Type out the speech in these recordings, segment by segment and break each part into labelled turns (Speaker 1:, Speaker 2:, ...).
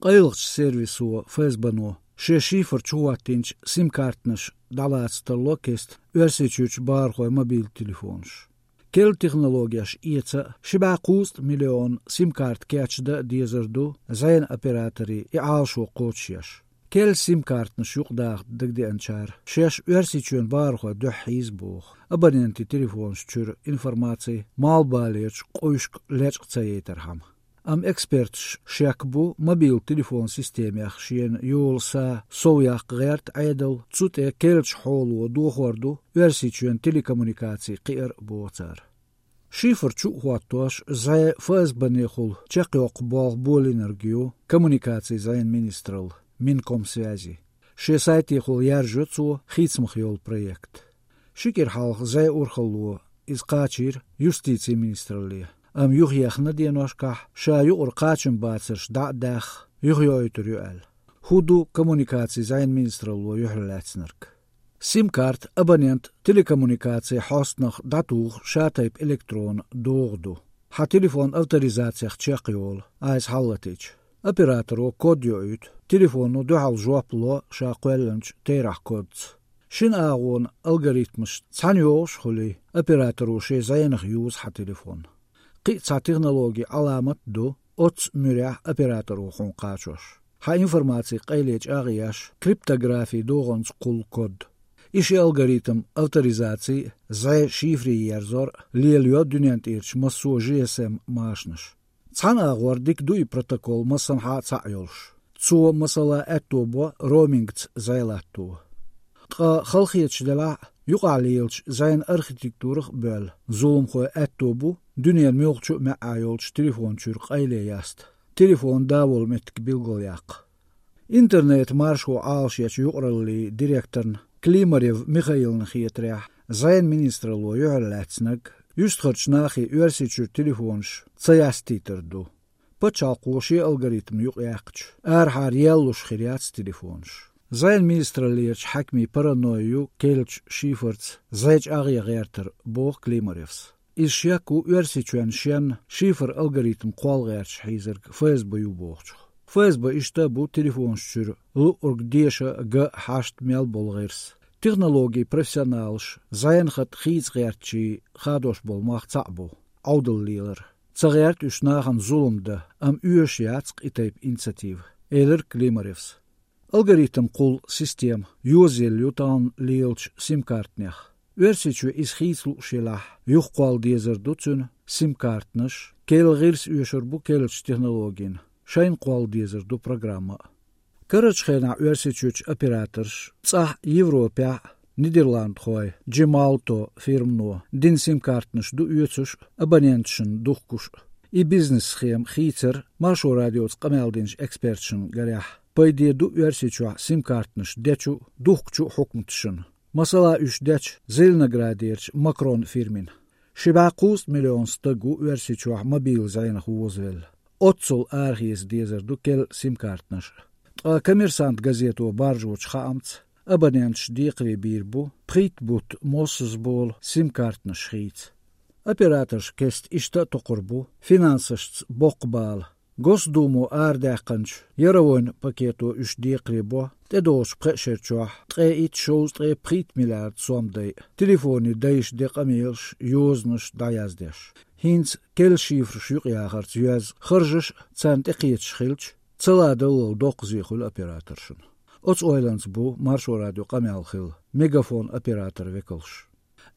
Speaker 1: Qaylıqç servisu FSB-nu şe şifr çuvattinç sim kartnaş dalātstarlo kest örsečüç barhoy mobil telefonš. Kel tehnologijaš ieca šibā kūst miljon sim kart keçda diezardu zayn operatori alšo qoçyaš. Kel sim kartnaš yuqdaq digdi anchar şeş örsečün barhoy döhiz buğ. Abonenti telefonš çür informatsiya malbalieč qoyuşk leçqca yeterham. Am eksperts šek bu mobil telefon sistēmjach šien jūlsā sovjaq gērt aidal cute kelč holu dohordu versičuen telekomunikācija qir bocar. Šifr čuhuatoš zai FSB-nehul čekjoq bol energiju komunikācija zain ministral Minkomsvязи. Šie saitihul järžucu hitsmahjol projekt. Šikir halq zai urhalu izqāčir justīcija ministralija. Am yuhyaqna dienoshkah sha yuqur qaçın batsırş da'daq yuhyoytur yu'al. Hudu komunikācija zayn ministralu yuhlatsnark. SIM kart abonent telekomunikācija hostnaq datuğ şatayp elektron doğdu. Ha telefon autorizācijaq çeqyol aiz hallatiç. Operatoru kod yoyut telefonu duhal joplo sha qoylanç teyraq kodz. Şin ağun algoritmış çanyoş huli operatoru şe zaynaq yuz ha telefon. Qitsa texnologiya alamat du ots mürah operatoru xun qaçoş. Ha informatsiya qayleç ağıyaş kriptografi doğunç qul kod. İşi algoritm autorizācija zay şifri yerzor lielyo dünyant irç masu GSM maşnış. Can ağor dik duy protokol masam ha çayolş. Ço masala ettobo roaming zaylattu. Qa xalqiyetçdela yuqaliyelç zayn arxitekturıq böl. Zulum xoy ettobu dünyen mölçü meayolç telefon çürq ayle yast. Telefon davol metk bilgolyaq. Internet marşo alşyaç yuqralli direktorn Klimarev Mikhailn xietrah zayn ministralu yuhlatsnag justxarçnaxi örsečür telefonş çayastiterdu. Paçalqoşi algoritm yuqyaqç. Arhar yelluş xiriats telefonş. Zayn ministraliyach hakmi paranoyu kelç şifrts zayç ağıya gərtir boğ Klimarevs. İşyaku örsečün şen şifr algoritm qolğarç hizirg FSB-yu boğçuq. FSB işte bu telefonşçür urg deşa G8 bolğirs. Технологии профессионалш заянхат хизгертчи хадош болмақ цабу аудаллилер цагерт үшнахан зулумда ам üyeşyatsk itayp initiativ Elir Klimarevs algoritm qul sistem юзел ютан лилч sim kartnях örsечü isxitslu şelah yuqal dezerducun sim kartnaş kelgirs üyeşur bu kelç texnologin şayn qal dezerdu programma Karaçxena örsečüç operators tsah Evropa Niderland xoy Gemalto firmno din sim kartnaş du üyeçüş abonentşin duhkuş I business schem xitser marşo radiots qameldinç expertşin garah payde du örsečü sim kartnaş deçu duhkçu hukmtşin masala üç deç Zelnagraderç Macron firmin Şibaqus milyon stagu örsečü mobil zaynah vozvel Otsul arxiz dezerdu kel sim kartnaş Kommersant gazeto barjoç xamts abonentş diqri birbu prit but mossuzbol sim kartnaş xits Operatorş kest işte toqurbu finansışts boqbal Gosdumu ardaqanç yaravon paketo üç diqri te doş preşerçoh tre it shows tre prit milyard somday telefoni dayış deqamilş yoznış dayazdeş Hins kel şifr şuqyağarts yüz xırjış çant iqiyetş xilç Цаладыл 9 operatorşun. Oç oylans bu marşo radio qamalxil megafon operator vekalş.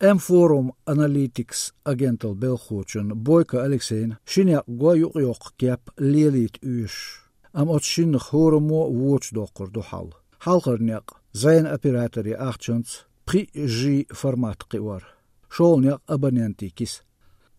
Speaker 1: M-Forum Analytics agental belxoçun Boyka Alekseyn şinya goyuq yoq kep lelit üş. Am oç şinx horumo watch doqur dohal. Halqarnyaq zayn operatori axçants PG format qiwar. Şolnyaq abonentikis.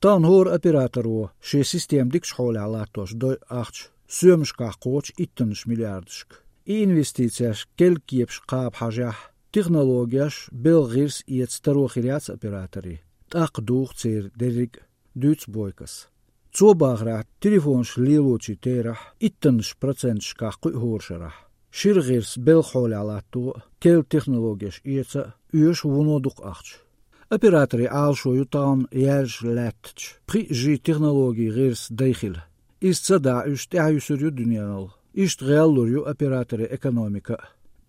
Speaker 1: Tan hor operatoru şe sistem dik şol alatoş doy axç Sömşkaq qoç 2 milyardışk. İnvestisiyaş kelkiyepş qab hajah texnologiyaş belgirs iet staroxiriats operatori. Taq duğ cer derik düts boykas. Çobağrat telefonş liloçi terah 2% şqaq horşarah. Şirgirs belxol alattu kel texnologiyaş ietsa üyeş vunoduq axç. Operatori alşo yutan yerj latç. PG texnologi girs dayxil. İstsa da üç tehayüsürü dünyanal. İştğalluryu operatörü ekonomika.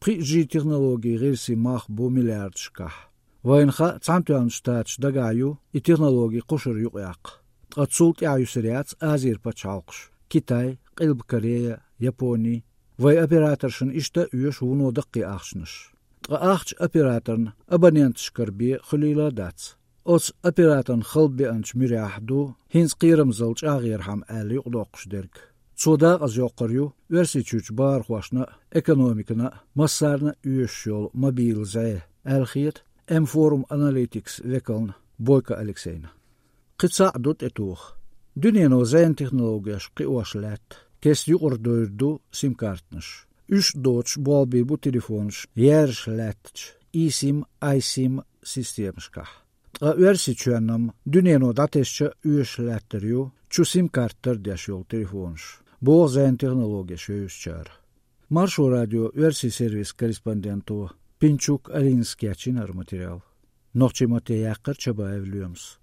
Speaker 1: Pri технологии герси мах бу миллиардшках. Вайнха цамтуанштач дагаю и технологии кушур юqyaq. Тqatsult яюсриац Азербайджалqш. Китай, Қилб Корея, Япония. Вай операторшын ишта үйеш уно даққи ақшныш. Тqaахч операторн абонентшкарби хулиладац. Оц операторн хылби анч миряхду хинс қирымзылч ағирхам әли ұдоқшдерг. Цодақ аз жоқырю версичуч бар хуашна экономикана массарна үйеш жол мобилзай әлхиет M-Forum Analytics векалн Бойко Алексейна. Қица дут этух. Дүниено зайн технологияш қиуашлят. Кес юқырдойрду сим-картныш. Үш доч болби бу телефонш яршлятч. И-сим, I-сим системшках. Тqa версичуанам дүниено датешча үйешляттерю чу сим-карттар дяшол телефонш. Бо зайн технология шөйшчар. Маршу радио верси-сервис корреспонденту Пинчук Алинский материал. Нохчи Матеяккар Чабаев Люмс.